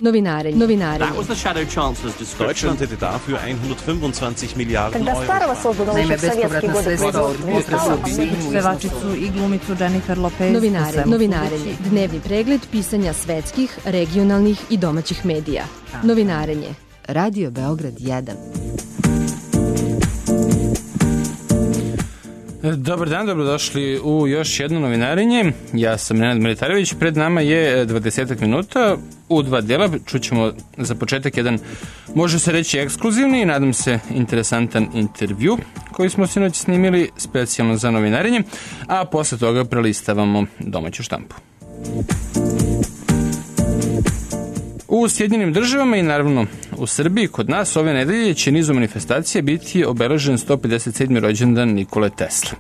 Novinarenje. Deutschland hätte dafür 125 Milliarden Euro. Naime, bespovratna sredstva od pevačicu i glumicu Jennifer Lopez. Novinarenje. Dnevni pregled pisanja svetskih, regionalnih i domaćih medija. Novinarenje. Radio Beograd 1. Dobar dan, dobrodošli u još jedno novinarenje. Ja sam Nenad Militarević, pred nama je 20 minuta u dva dela. Čućemo za početak jedan, može se reći, ekskluzivni i nadam se interesantan intervju koji smo sinoć snimili specijalno za novinarenje, a posle toga prelistavamo domaću štampu. U Sjedinjenim državama i naravno u Srbiji, kod nas, ove nedelje će nizu manifestacija biti obeležen 157. rođendan Nikole Tesle.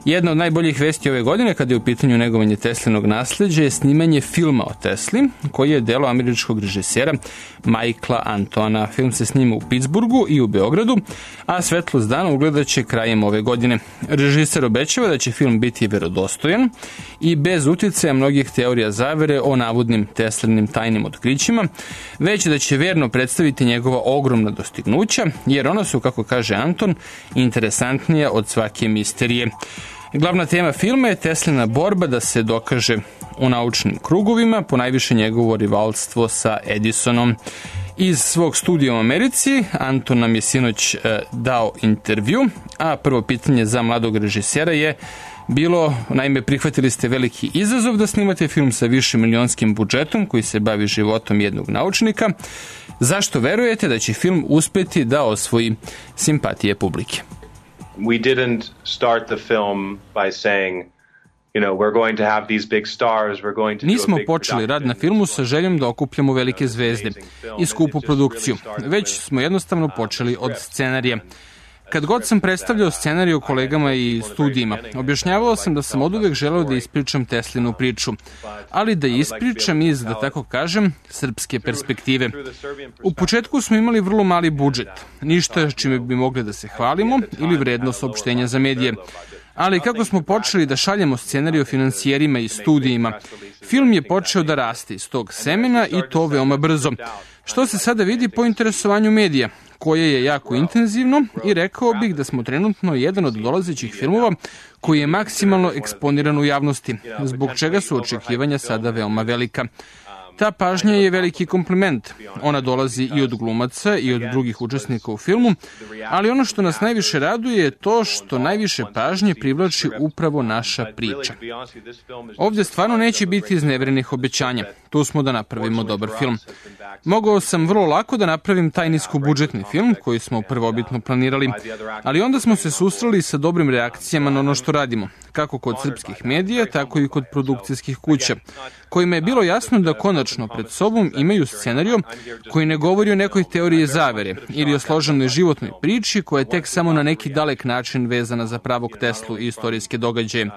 Jedna od najboljih vesti ove godine, kada je u pitanju negovanje Teslinog nasleđa, je snimanje filma o Tesli, koji je delo američkog režisera Michaela Antona. Film se snima u Pittsburghu i u Beogradu, a svetlost dana ugledat će krajem ove godine. Režiser obećava da će film biti verodostojan i bez uticaja mnogih teorija zavere o navodnim Teslinim tajnim otkrićima, već da će verno predstaviti njegova ogromna dostignuća, jer ona su, kako kaže Anton, interesantnija od svake misterije. Glavna tema filma je Teslina borba da se dokaže u naučnim krugovima, ponajviše njegovo rivalstvo sa Edisonom. Iz svog studija u Americi Anton nam je sinoć dao intervju, a prvo pitanje za mladog režisera je bilo, naime, prihvatili ste veliki izazov da snimate film sa višemilijonskim budžetom koji se bavi životom jednog naučnika. Zašto verujete da će film uspeti da osvoji simpatije publike? We didn't start the film by saying, we're going to have these big stars, we're going to do a big Nismo počeli rad na filmu sa željom da okupljamo velike zvezde i skupu produkciju, već smo jednostavno počeli od scenarija. Kad god sam predstavljao scenariju kolegama i studijima, objašnjavao sam da sam oduvek želeo da ispričam Teslinu priču, ali da je ispričam iz, da tako kažem, srpske perspektive. U početku smo imali vrlo mali budžet, ništa čime bi mogli da se hvalimo ili vredno saopštenja za medije. Ali kako smo počeli da šaljemo scenariju financijerima i studijima, film je počeo da raste iz tog semena i to veoma brzo. Što se sada vidi po interesovanju medija, koje je jako intenzivno i rekao bih da smo trenutno jedan od dolazećih filmova koji je maksimalno eksponiran u javnosti, zbog čega su očekivanja sada veoma velika. Ta pažnja je veliki kompliment. Ona dolazi i od glumaca i od drugih učesnika u filmu, ali ono što nas najviše raduje je to što najviše pažnje privlači upravo naša priča. Ovdje stvarno neće biti izneverenih obećanja. Tu smo da napravimo dobar film. Mogao sam vrlo lako da napravim taj niskobudžetni film koji smo prvobitno planirali, ali onda smo se susreli sa dobrim reakcijama na ono što radimo, kako kod srpskih medija, tako i kod produkcijskih kuća, kojima je bilo jasno da konačno pred sobom imaju scenariju koji ne govori o nekoj teoriji zavere ili o složenoj životnoj priči koja je tek samo na neki dalek način vezana za pravog Teslu i istorijske događaje.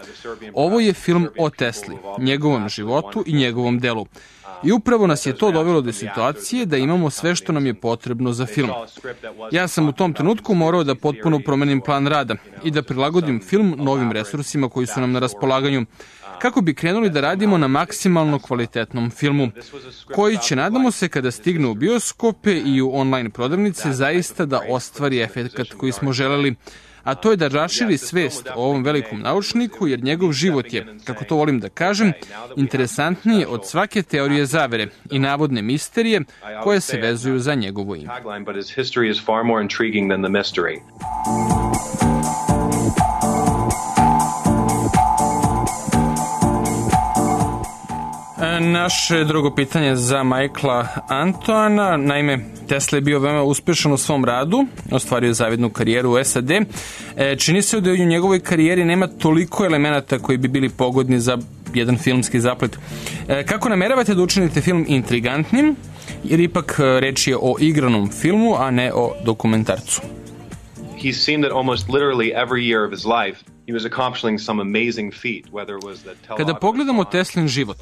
Ovo je film o Tesli, njegovom životu i njegovom delu. I upravo nas je to dovelo do situacije da imamo sve što nam je potrebno za film. Ja sam u tom trenutku morao da potpuno promenim plan rada i da prilagodim film novim resursima koji su nam na raspolaganju, kako bi krenuli da radimo na maksimalno kvalitetnom filmu, koji će, nadamo se, kada stigne u bioskope i u online prodavnice, zaista da ostvari efekat koji smo želeli, a to je da raširi svest o ovom velikom naučniku, jer njegov život je, kako to volim da kažem, interesantniji od svake teorije zavere i navodne misterije koje se vezuju za njegovo ime. Naše drugo pitanje za Michaela Antona. Naime, Tesla je bio veoma uspešan u svom radu, ostvario je zavidnu karijeru u SAD. Čini se da u njegovoj karijeri nema toliko elemenata koji bi bili pogodni za jedan filmski zaplet. Kako nameravate da učinite film intrigantnim, jer ipak reč je o igranom filmu, a ne o dokumentarcu? He's seen that almost literally every year of his life he was accomplishing some amazing feat, whether it was the Kada pogledamo Teslin život,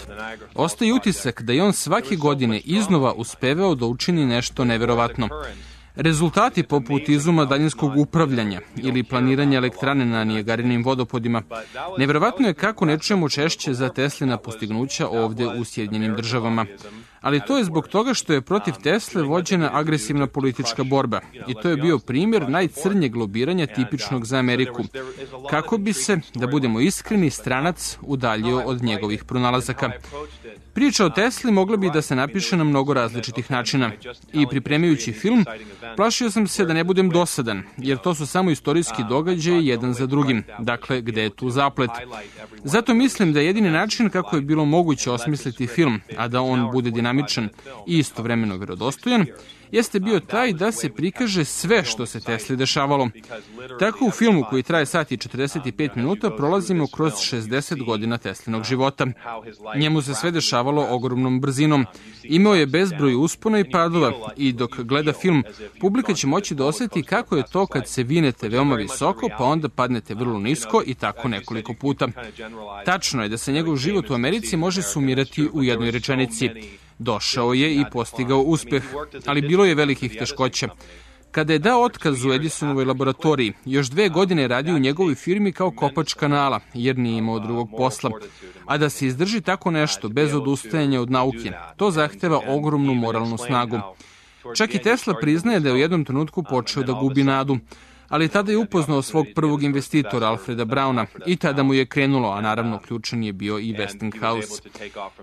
ostaje utisak da je on svake godine iznova uspevao da učini nešto neverovatno. Rezultati poput izuma daljinskog upravljanja ili planiranja elektrane na Nijagarinim vodopodima, neverovatno je kako ne čujemo češće za Teslina postignuća ovde u Sjedinjenim državama. Ali to je zbog toga što je protiv Tesle vođena agresivna politička borba. I to je bio primjer najcrnjeg lobiranja tipičnog za Ameriku. Kako bi se, da budemo iskreni, stranac udaljio od njegovih pronalazaka. Priča o Tesli mogla bi da se napiše na mnogo različitih načina. I pripremajući film, plašio sam se da ne budem dosadan, jer to su samo istorijski događaji jedan za drugim. Dakle, gde je tu zaplet? Zato mislim da je jedini način kako je bilo moguće osmisliti film, a da on bude dinamičan i istovremeno verodostojan, jeste bio taj da se prikaže sve što se Tesli dešavalo. Tako u filmu koji traje sat i 45 minuta prolazimo kroz 60 godina Teslinog života. Njemu se sve dešavalo ogromnom brzinom. Imao je bezbroj uspona i padova i dok gleda film, publika će moći da osjeti kako je to kad se vinete veoma visoko, pa onda padnete vrlo nisko i tako nekoliko puta. Tačno je da se njegov život u Americi može sumirati u jednoj rečenici. Došao je i postigao uspeh, ali bilo je velikih teškoća. Kada je dao otkaz u Edisonovoj laboratoriji, još 2 godine je radio u njegovoj firmi kao kopač kanala, jer nije imao drugog posla. A da se izdrži tako nešto bez odustajanja od nauke, to zahteva ogromnu moralnu snagu. Čak i Tesla priznaje da je u jednom trenutku počeo da gubi nadu. Ali tada je upoznao svog prvog investitora, Alfreda Brauna, i tada mu je krenulo, a naravno ključan je bio i Westinghouse.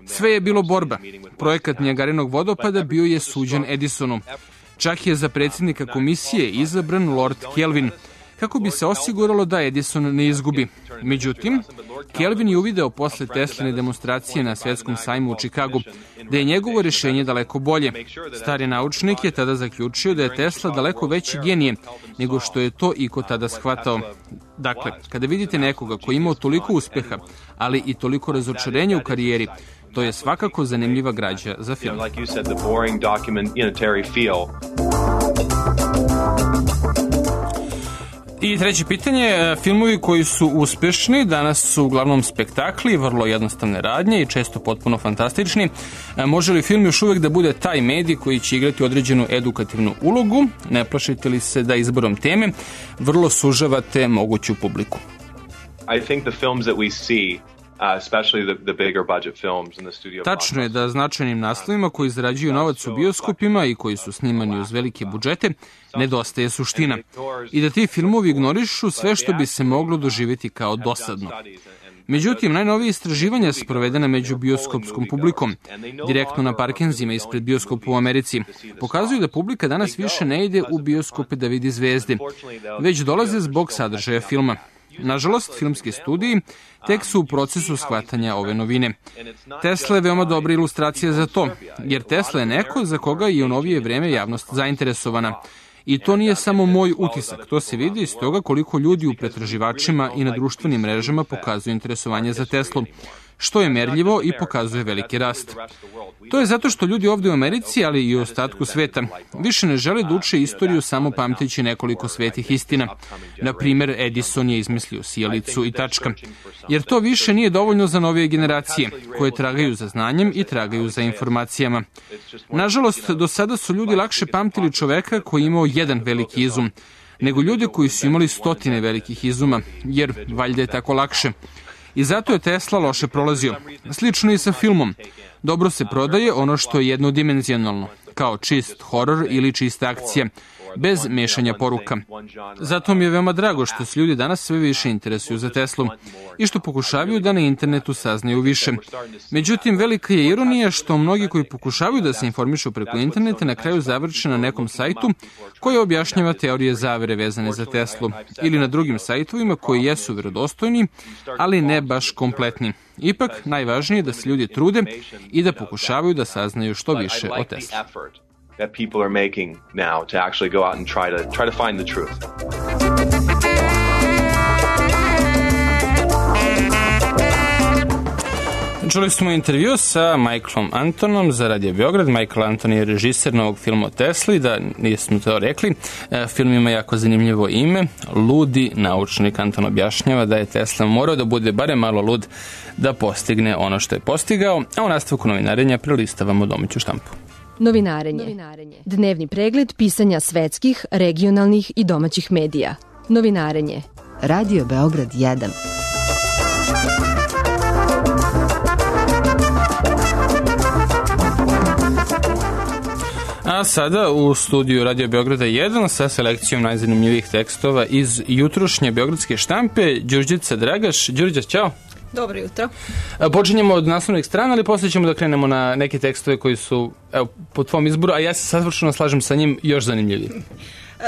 Sve je bilo borba. Projekat Nijagarinog vodopada bio je suđen Edisonu. Čak je za predsjednika komisije izabran Lord Kelvin, kako bi se osiguralo da Edison ne izgubi. Međutim, Kelvin je uvideo posle Tesline demonstracije na svetskom sajmu u Čikagu da je njegovo rješenje daleko bolje. Stari naučnik je tada zaključio da je Tesla daleko veći genije nego što je to iko tada shvatao. Dakle, kada vidite nekoga koji je imao toliko uspeha, ali i toliko razočarenja u karijeri, to je svakako zanimljiva građa za film. I treće pitanje, filmovi koji su uspešni danas su uglavnom spektakli, vrlo jednostavne radnje i često potpuno fantastični. Može li film još uvek da bude taj medij koji će igrati određenu edukativnu ulogu? Ne plašite li se da izborom teme vrlo sužavate moguću publiku? I think the films that we see, especially the bigger budget films in the studio. Tačno je da značajnim naslovima koji zarađuju novac u bioskopima i koji su snimani uz velike budžete nedostaje suština i da ti filmovi ignorišu sve što bi se moglo doživjeti kao dosadno. Međutim, najnovije istraživanja sprovedene među bioskopskom publikom, direktno na parkenzima ispred bioskopa u Americi, pokazuju da publika danas više ne ide u bioskope da vidi zvezde, već dolaze zbog sadržaja filma. Nažalost, filmski studiji tek su u procesu shvatanja ove novine. Tesla je veoma dobra ilustracija za to, jer Tesla je neko za koga je u novije vreme javnost zainteresovana. I to nije samo moj utisak, to se vidi iz toga koliko ljudi u pretraživačima i na društvenim mrežama pokazuju interesovanje za Teslu, što je merljivo i pokazuje veliki rast. To je zato što ljudi ovdje u Americi, ali i u ostatku sveta, više ne žele da uče istoriju samo pamteći nekoliko svetih istina. Na primjer, Edison je izmislio sijalicu i tačka. Jer to više nije dovoljno za novije generacije, koje tragaju za znanjem i tragaju za informacijama. Nažalost, do sada su ljudi lakše pamtili čoveka koji je imao jedan veliki izum, nego ljude koji su imali stotine velikih izuma, jer valjda je tako lakše. I zato je Tesla loše prolazio. Slično i sa filmom. Dobro se prodaje ono što je jednodimenzionalno, kao čist horor ili čista akcija, bez mešanja poruka. Zato mi je veoma drago što se ljudi danas sve više interesuju za Teslu i što pokušavaju da na internetu saznaju više. Međutim, velika je ironija što mnogi koji pokušavaju da se informišu preko interneta na kraju završe na nekom sajtu koji objašnjava teorije zavere vezane za Teslu ili na drugim sajtovima koji jesu verodostojni, ali ne baš kompletni. Ipak, najvažnije je da se ljudi trude i da pokušavaju da saznaju što više o Tesli. That people are making now to actually go out and try to find the truth. Čuli smo intervju sa Michaelom Antonom za Radio Beograd. Michael Anton je režiser novog filma o Tesli, da nismo to rekli. Film ima jako zanimljivo ime. Ludi naučnik. Anton objašnjava da je Tesla morao da bude barem malo lud da postigne ono što je postigao, a u nastavku novinarenja prelistavamo domaću štampu. Novinarenje. Dnevni pregled pisanja svetskih, regionalnih i domaćih medija. Novinarenje. Radio Beograd 1. A sada u studiju Radio Beograda 1 sa selekcijom najzanimljivijih tekstova iz jutrošnje beogradske štampe. Đurđica Dragaš. Đurđa, ćao. Dobro jutro. Počinjemo od naslovnih strana, ali posle ćemo da krenemo na neke tekstove koji su po tvom izboru, a ja se savršeno slažem sa njim, još zanimljiviji.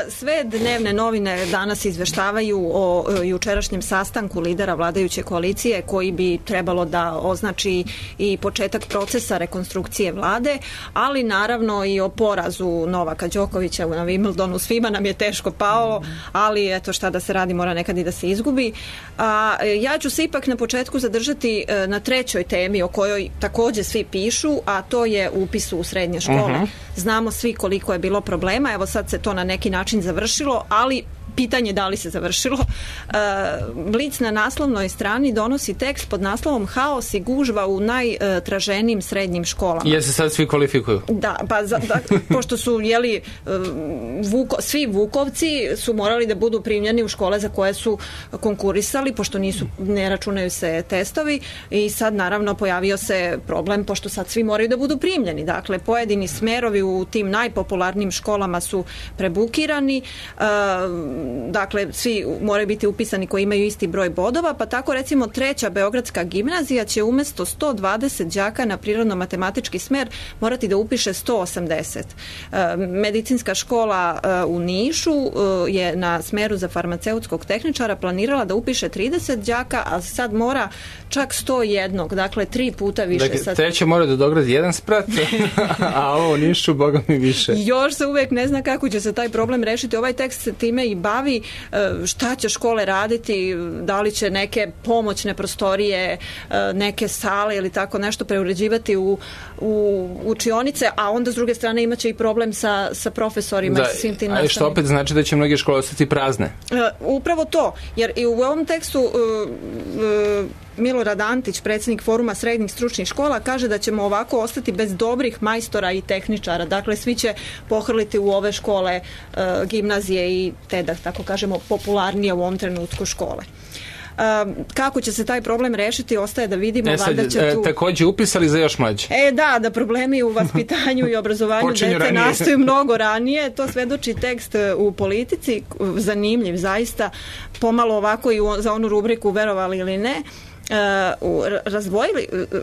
Sve dnevne novine danas izveštavaju o jučerašnjem sastanku lidera vladajuće koalicije koji bi trebalo da označi i početak procesa rekonstrukcije vlade, ali naravno i o porazu Novaka Đokovića na Wimbledonu. Svima nam je teško pao, ali eto šta da se radi, mora nekad i da se izgubi. Ja ću se ipak na početku zadržati na trećoj temi o kojoj takođe svi pišu, a to je upis u srednje škole. Znamo svi koliko je bilo problema, evo sad se to na neki način završilo, ali pitanje da li se završilo. Blic na naslovnoj strani donosi tekst pod naslovom Haos i gužva u najtraženijim srednjim školama. Jer se sad svi kvalifikuju? Da, pa pošto su svi Vukovci su morali da budu primljeni u škole za koje su konkurisali, pošto ne računaju se testovi, i sad naravno pojavio se problem, pošto sad svi moraju da budu primljeni. Dakle, pojedini smerovi u tim najpopularnijim školama su prebukirani, dakle, svi moraju biti upisani koji imaju isti broj bodova, pa tako recimo treća beogradska gimnazija će umesto 120 đaka na prirodno-matematički smer morati da upiše 180. Medicinska škola u Nišu je na smeru za farmaceutskog tehničara planirala da upiše 30 đaka, a sad mora čak 101, dakle 3 puta više. Dakle, treća mora da dogradi jedan sprat, a ovo u Nišu, boga mi više. Još se uvek ne zna kako će se taj problem rešiti. Ovaj tekst se time i bavi, šta će škole raditi, da li će neke pomoćne prostorije, neke sale ili tako nešto preuređivati u učionice, a onda s druge strane imaće i problem sa profesorima i sa svim tim nastavnim. Što opet znači da će mnoge škole ostati prazne. Upravo to, jer i u ovom tekstu Milorad Antić, predsjednik Foruma srednjih stručnih škola, kaže da ćemo ovako ostati bez dobrih majstora i tehničara. Dakle, svi će pohrliti u ove škole, gimnazije i te, da tako kažemo, popularnije u ovom trenutku škole. Kako će se taj problem rešiti, ostaje da vidimo. Takođe upisali za još mlađe. Da problemi u vaspitanju i obrazovanju dece nastaju mnogo ranije. To svedoči tekst u Politici, zanimljiv zaista, pomalo ovako i za onu rubriku verovali ili ne.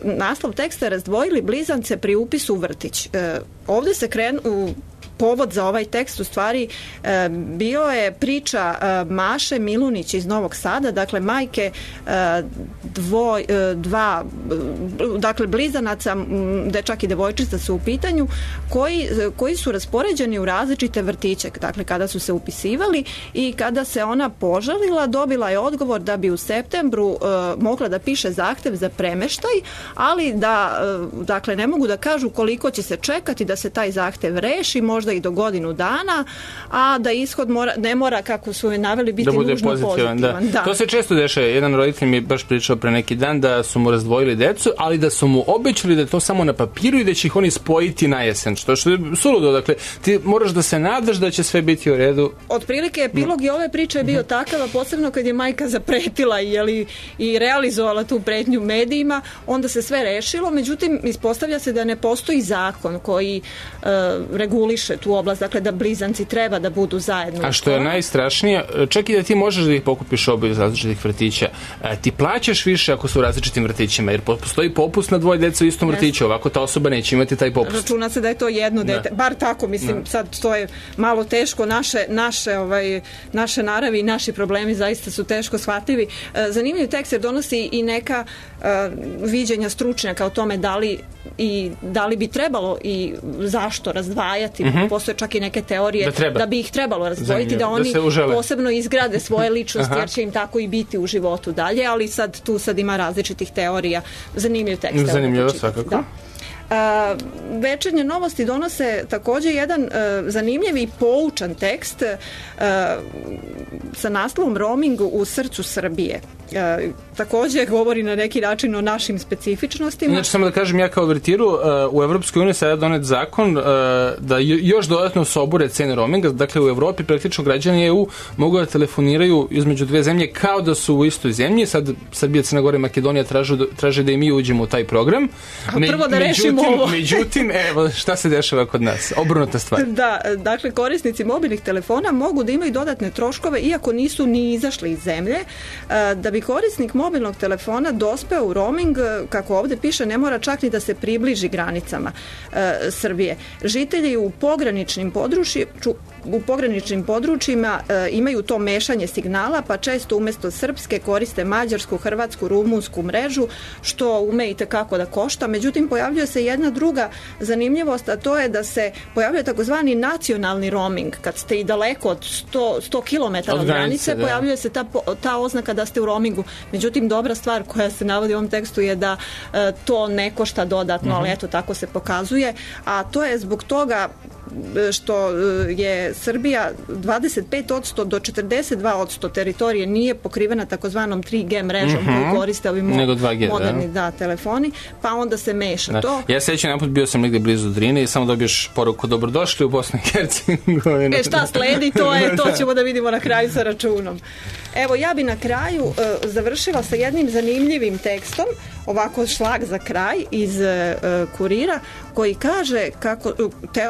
Naslov teksta je Razdvojili blizance pri upisu u vrtić. Ovde se povod za ovaj tekst u stvari bio je priča Maše Milunić iz Novog Sada, dakle majke dakle blizanaca, dečak i devojčica su u pitanju, koji su raspoređeni u različite vrtiće. Dakle, kada su se upisivali i kada se ona požalila, dobila je odgovor da bi u septembru mogla da piše zahtev za premeštaj, ali da dakle ne mogu da kažu koliko će se čekati da se taj zahtev reši, možda i do godinu dana, a da ishod ne mora, kako su je naveli, biti nužno pozitivan. Da. To se često dešava. Jedan roditelj mi je baš pričao pre neki dan da su mu razdvojili decu, ali da su mu obećali da je to samo na papiru i da će ih oni spojiti na jesen. Što je suludo. Dakle, ti moraš da se nadaš da će sve biti u redu. Otprilike, epilog i ove priče je bio takav, a posebno kad je majka zapretila i realizovala tu pretnju medijima, onda se sve rešilo. Međutim, ispostavlja se da ne postoji zakon koji reguliše tu oblast, dakle da blizanci treba da budu zajedno. A što je najstrašnije, čak i da ti možeš da ih pokupiš oboje iz različitih vrtića, ti plaćaš više ako su u različitim vrtićima, jer postoji popust na dvoje deca u istom vrtiću, ovako ta osoba neće imati taj popust. Računa se da je to jedno dete, bar tako, mislim, sad to je malo teško, naše naravi i naši problemi zaista su teško shvatljivi. Zanimljiv tekst jer donosi i neka viđenja stručnjaka o tome da li bi trebalo i zašto razdvajati. Postoje čak i neke teorije da bi ih trebalo razdvojiti, da oni posebno izgrade svoje ličnosti, jer će im tako i biti u životu dalje, ali tu ima različitih teorija. Zanimljiv tekst. Zanimljivo, svakako. Da. Večernje novosti donose takođe jedan zanimljiv i poučan tekst sa naslovom Roaming u srcu Srbije. Takođe govori na neki način o našim specifičnostima. Znači, samo da kažem, ja kao vertiru, u Evropskoj uniji sada donet zakon da još dodatno se obure cene roaminga. Dakle, u Evropi praktično građani EU mogu da telefoniraju između dve zemlje kao da su u istoj zemlji. Sad Srbija, Crna Gora i Makedonija traže da i mi uđemo u taj program. Prvo da rešimo Međutim, evo šta se dešava kod nas, obrnuta stvar. Da, dakle korisnici mobilnih telefona mogu da imaju dodatne troškove iako nisu ni izašli iz zemlje. Da bi korisnik mobilnog telefona dospeo u roaming, kako ovde piše, ne mora čak ni da se približi granicama Srbije. Žitelji u pograničnim područjima imaju to mešanje signala, pa često umesto srpske koriste mađarsku, hrvatsku, rumunsku mrežu, što ume i tekako da košta. Međutim, pojavljuje se jedna druga zanimljivost, a to je da se pojavljuje takozvani nacionalni roaming. Kad ste i daleko od 100 km od granice, pojavljuje se ta oznaka da ste u roamingu. Međutim, dobra stvar koja se navodi u ovom tekstu je da to ne košta dodatno, ali eto, tako se pokazuje. A to je zbog toga što je Srbija 25% do 42% teritorije nije pokrivena takozvanom 3G mrežom koju koriste ovi moderni telefoni, pa onda se meša to. Ja sećam, naput bio sam negde blizu Drine i samo dobiješ poruku dobrodošli u Bosnu i Hercegovinu. Šta sledi, to ćemo da vidimo na kraju sa računom. Evo, ja bi na kraju završila sa jednim zanimljivim tekstom, ovako šlag za kraj iz Kurira, koji kaže kako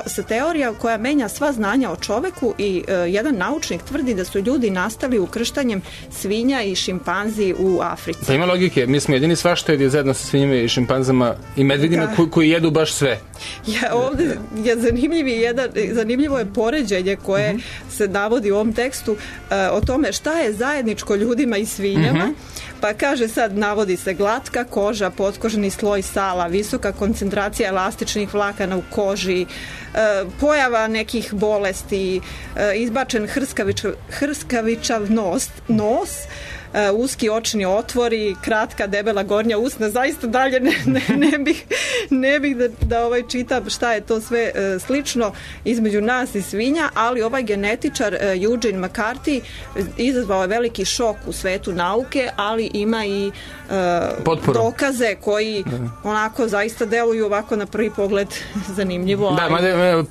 se teorija koja menja sva znanja o čoveku i jedan naučnik tvrdi da su ljudi nastali ukrštanjem svinja i šimpanzi u Africi. Pa ima logike, mi smo jedini svaštojedi zajedno sa svinjima i šimpanzama i medvedima koji jedu baš sve. Ovde je zanimljivo je poređenje koje se navodi u ovom tekstu o tome šta je zajedničko ljudima i svinjama. Pa kaže sad, navodi se glatka koža, potkožni sloj sala, visoka koncentracija elastičnih vlakana u koži, pojava nekih bolesti, izbačen hrskavičav nos, uski očni otvori, kratka debela gornja usna, zaista dalje ne bih da čitam šta je to sve slično između nas i svinja, ali ovaj genetičar Eugene McCarthy izazvao je veliki šok u svetu nauke, ali ima i dokaze koji onako zaista deluju ovako na prvi pogled zanimljivo. Da, mada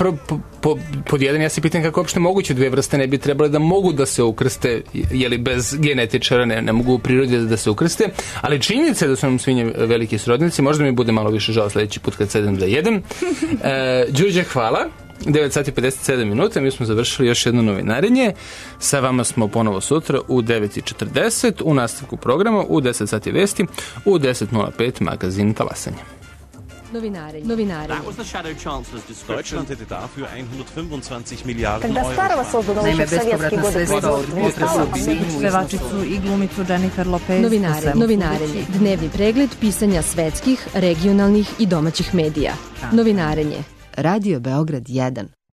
pod jedan ja se pitam kako uopšte moguće dve vrste ne bi trebale da mogu da se ukrste, jeli bez genetičara ne mogu u prirodi da se ukrste, ali činjenica je da su nam svinje veliki srodnici, možda mi bude malo više žao sledeći put kad sedem da jedem. Đurđe, hvala. 9 sati 57 minuta, mi smo završili još jedno novinarenje. Sa vama smo ponovo sutra u 9:40, u nastavku programa u 10 sati vesti, u 10:05 magazin Talasanje. Novinarenje. That was the shadow chancellor's description. Deutschland hätte dafür 125 Milliarden Когда старого созданного еще в советские годы производства. Pevačicu i glumicu Jennifer Lopez. Novinarenje. Dnevni pregled pisanja svetskih, regionalnih i domaćih medija. Novinarenje. Radio Beograd 1.